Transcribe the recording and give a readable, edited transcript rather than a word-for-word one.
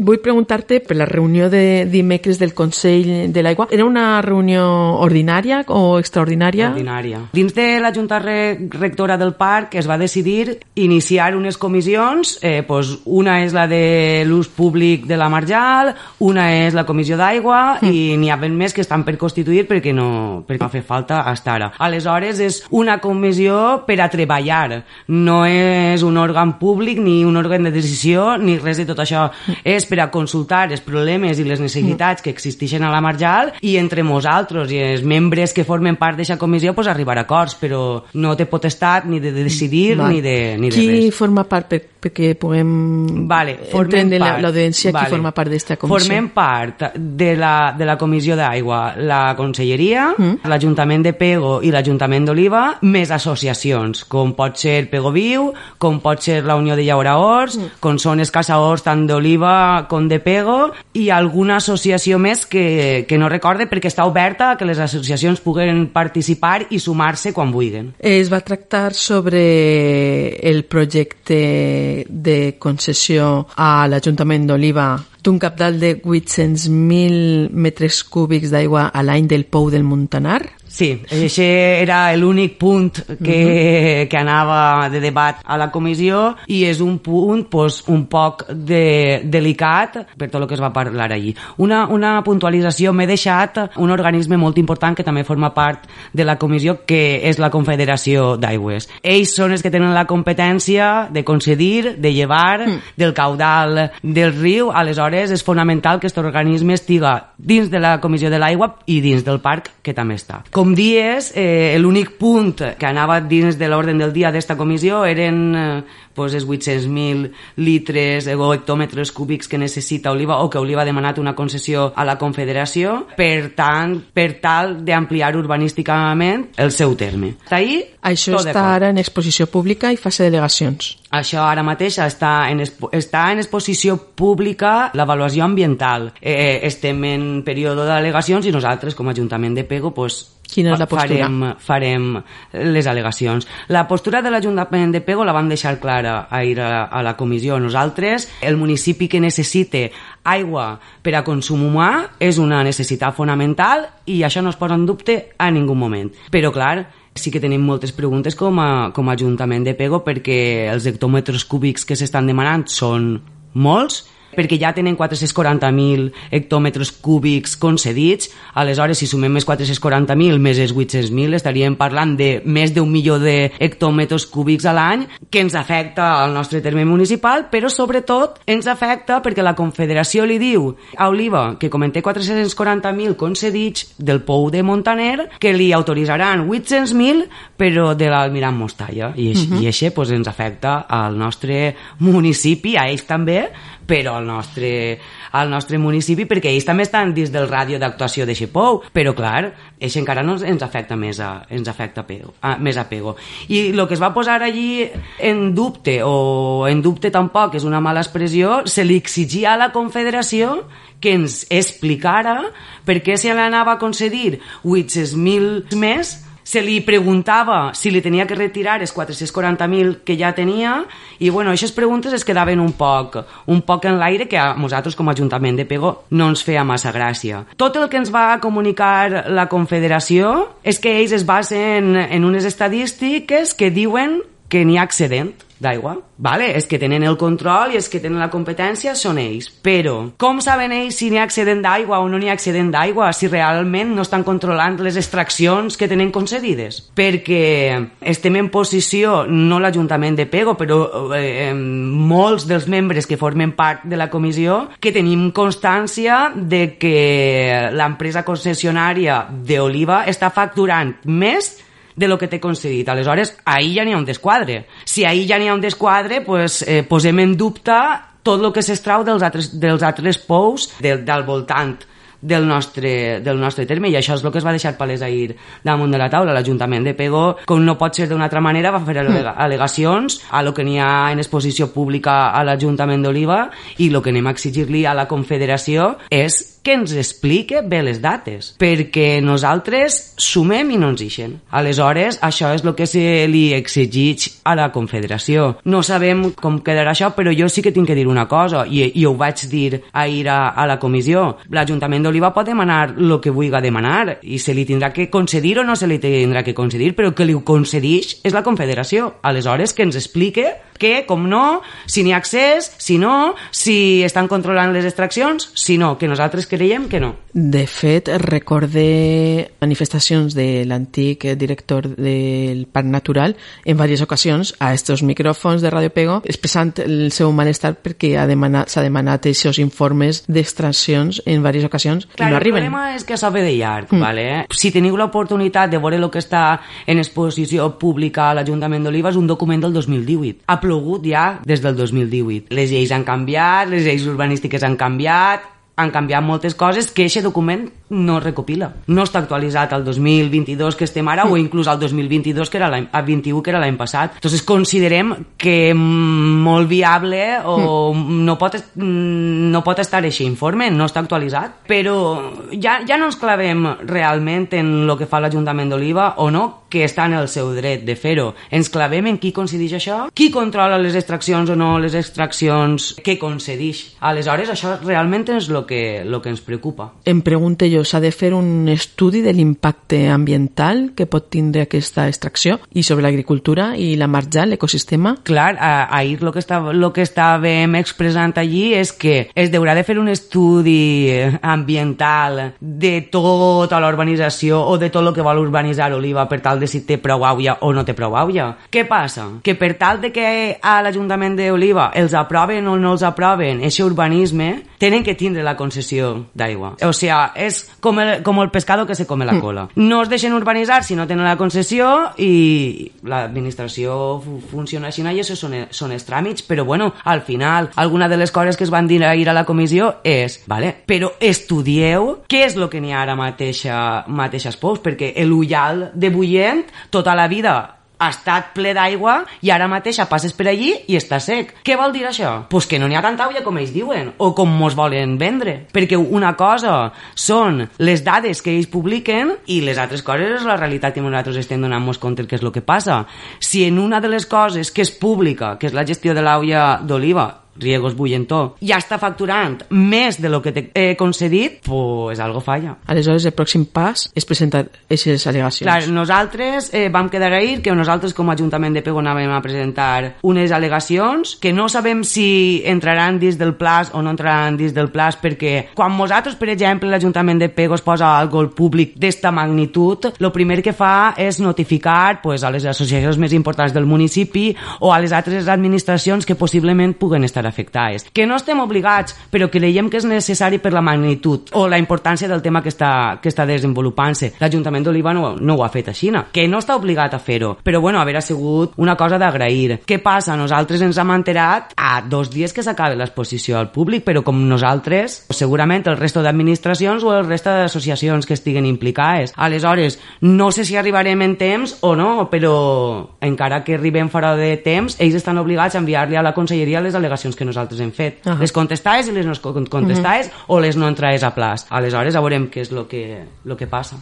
Vull preguntar-te per la reunió de dimecres del Consell de l'Aigua. Era una reunió ordinària o extraordinària? Ordinària. Dins de la Junta Rectora del Parc es va decidir iniciar unes comissions, una és la de l'ús públic de la Marjal, una és la Comissió d'Aigua i n'hi ha ben més que estan per constituir perquè no fa falta estar ara. Aleshores és una comissió per a treballar, no és un òrgan públic ni un òrgan de decisió ni res de tot això. És per a consultar els problemes i les necessitats que existeixen a la Marjal i entre nosaltres i els membres que formen part d'aquesta comissió arribar a acords, però no té potestat ni de decidir ni de res. Qui forma part perquè puguem entendre l'audiència qui forma part d'esta comissió? Formem part de la Comissió d'Aigua, la Conselleria, l'Ajuntament de Pego i l'Ajuntament d'Oliva, més associacions, com pot ser Pego Viu, com pot ser la Unió de Llauraors, com són els caçadors tant d'Oliva com de Pego, i alguna associació més que no recorde perquè està oberta a que les associacions puguen participar i sumar-se quan vulguin. Es va tractar sobre el projecte de concessió a l'Ajuntament d'Oliva d'un cabal de 800.000 metres cúbics d'aigua a l'any del Pou del Montanar? Sí, això era l'únic punt que anava de debat a la comissió i és un punt un poc delicat per tot el que es va parlar allí. Una puntualització, m'he deixat un organisme molt important que també forma part de la comissió, que és la Confederació d'Aigües. Ells són els que tenen la competència de concedir, de llevar del caudal del riu. Aleshores és fonamental que aquest organisme estiga dins de la Comissió de l'Aigua i dins del parc, que també està. Com dies, l'únic punt que anava dins de l'ordre del dia d'esta comissió eren els 800.000 litres o hectòmetres cúbics que necessita Oliva o que Oliva ha demanat una concessió a la Confederació per tal d'ampliar urbanísticament el seu terme. Això està ara en exposició pública i fase de delegacions. Això ara mateix està en exposició pública l'avaluació ambiental. Estem en període de al·legacions i nosaltres com a Ajuntament de Pego quina és la postura? Farem les al·legacions. La postura de l'Ajuntament de Pego la vam deixar clara ahir a la comissió. Nosaltres, el municipi que necessite aigua per a consum humà és una necessitat fonamental i això no es posa en dubte a ningú moment. Però, clar, sí que tenim moltes preguntes com a Ajuntament de Pego perquè els hectòmetres cúbics que s'estan demanant són molts, perquè ja tenen 440.000 hectòmetres cúbics concedits. Aleshores, si sumem més 440.000 més els 800.000, estaríem parlant de més d'1 milió de hectòmetres cúbics a l'any, que ens afecta al nostre terme municipal, però sobretot ens afecta perquè la Confederació li diu a Oliva que com en té 440.000 concedits del Pou de Montaner, que li autoritzaran 800.000 però de l'Almirant Mostalla, i això ens afecta al nostre municipi, a ells també, però al nostre municipi, perquè ells també estan dins del ràdio d'actuació de Xepou, però clar, això encara no ens afecta més a Pego. I el que es va posar allí en dubte, o en dubte tampoc és una mala expressió, se li exigia a la Confederació que ens explicara per què se l'anava a concedir 800.000 més. Se li preguntava si li tenia que retirar els 440.000 que ja tenia i, aquestes preguntes es quedaven un poc en l'aire, que a nosaltres com a Ajuntament de Pego no ens feia massa gràcia. Tot el que ens va comunicar la Confederació és que ells es basen en unes estadístiques que diuen que n'hi ha excedent d'aigua. És que tenen el control i els que tenen la competència són ells. Però com saben ells si n'hi ha excedent d'aigua o no n'hi ha excedent d'aigua si realment no estan controlant les extraccions que tenen concedides? Perquè estem en posició, no l'Ajuntament de Pego, però molts dels membres que formen part de la comissió, que tenim constància de que l'empresa concessionària d'Oliva està facturant més de lo que té concedit. Aleshores, ahir ja n'hi ha un desquadre. Si ahir ja n'hi ha un desquadre, posem en dubte tot el que s'extrau dels altres pous del voltant del nostre terme, i això és el que es va deixar palès ahir damunt de la taula. L'Ajuntament de Pego, com no pot ser d'una altra manera, va fer al·legacions a lo que n'hi ha en exposició pública a l'Ajuntament d'Oliva, i el que anem a exigir-li a la Confederació és que ens explique bé les dates, perquè nosaltres sumem i no ens ixen. Aleshores, això és el que se li exigeix a la Confederació. No sabem com quedarà això, però jo sí que tinc que dir una cosa, i ho vaig dir ahir a la comissió. L'Ajuntament d'Oliva pot demanar el que vulgui demanar, i se li tindrà que concedir o no se li tindrà que concedir, però que li ho concedeix és la Confederació. Aleshores, que ens explique que, com no, si n'hi ha accés, si no, si estan controlant les extraccions, si no, que nosaltres creiem que no. De fet, recorde manifestacions de l'antic director del Parc Natural en diverses ocasions a estos micròfons de Radio Pego expressant el seu malestar perquè s'ha demanat aquests informes d'extraccions en diverses ocasions i no arriben. El problema és que s'ha de llarg, ¿vale? Si teniu l'oportunitat de veure el que està en exposició pública a l'Ajuntament d'Oliva, és un document del 2018. Ha plogut ja des del 2018. Les lleis han canviat, les lleis urbanístiques han canviat moltes coses que aquest document no recopila. No està actualitzat al 2022 que estem ara o inclús al 2022 que era l'any 21 que era l'any passat. Entonces considerem que molt viable o no pot estar aquest informe, no està actualitzat, però ja no ens clavem realment en el que fa l'Ajuntament d'Oliva o no, que està en el seu dret de fer-ho. Ens clavem en qui concedeix això, qui controla les extraccions o no les extraccions que concedeix. Aleshores, això realment és el que ens preocupa. Em pregunto jo, s'ha de fer un estudi de l'impacte ambiental que pot tindre aquesta extracció i sobre l'agricultura i la marja, l'ecosistema? Clar, ahir el que estàvem expressant allí és que es deurà de fer un estudi ambiental de tota la urbanització o de tot el que vol urbanitzar Oliva per tal de si té prou aigua o no té prou aigua. Què passa? Que per tal de que a l'Ajuntament d'Oliva els aproven o no els aproven aquest urbanisme, tenen que tindre la concessió d'aigua. O sigui, és com el pescado que se come la cola. No es deixen urbanitzar si no tenen la concessió i l'administració funciona així i això són els tràmits, però bueno, al final, alguna de les coses que es van dir ahir a la comissió és, vale, però estudieu què és el que n'hi ha ara mateixes pous, perquè l'Ullal de Bullent tota la vida ha estat ple d'aigua i ara mateix passes per allí i està sec. Què vol dir això? Pues que no n'hi ha tanta aigua com ells diuen o com mos volen vendre. Perquè una cosa són les dades que ells publiquen i les altres coses és la realitat que nosaltres estem donant-nos compte que és el que passa. Si en una de les coses que és pública, que és la gestió de l'aigua d'Oliva, Riegos Bullentó, ja està facturant més de lo que t'he concedit, pues algo falla. Aleshores, el pròxim pas és presentar aquestes al·legacions. Clar, nosaltres vam quedar ahir que nosaltres com a Ajuntament de Pego anàvem a presentar unes al·legacions que no sabem si entraran dins del plaç o no entraran dins del plaç, perquè quan nosaltres, per exemple, l'Ajuntament de Pego es posa algo al públic d'esta magnitud, el primer que fa és notificar pues, a les associacions més importants del municipi o a les altres administracions que possiblement puguen estar afectades. Que no estem obligats, però creiem que és necessari per la magnitud o la importància del tema que està desenvolupant-se. L'Ajuntament d'Oliva no ho ha fet així, que no està obligat a fer-ho, però bueno, haver sigut una cosa d'agrair. Què passa? Nosaltres ens hem enterat a 2 dies que s'acaba l'exposició al públic, però com nosaltres, segurament el resto d'administracions o el resto d'associacions que estiguen implicades. Aleshores, no sé si arribarem en temps o no, però encara que arribem fora de temps, ells estan obligats a enviar-li a la conselleria les al·legacions que nosaltres hem fet. Les contestades i les no contestades o les no entrades a plaç. Aleshores, ja veurem què és el que passa.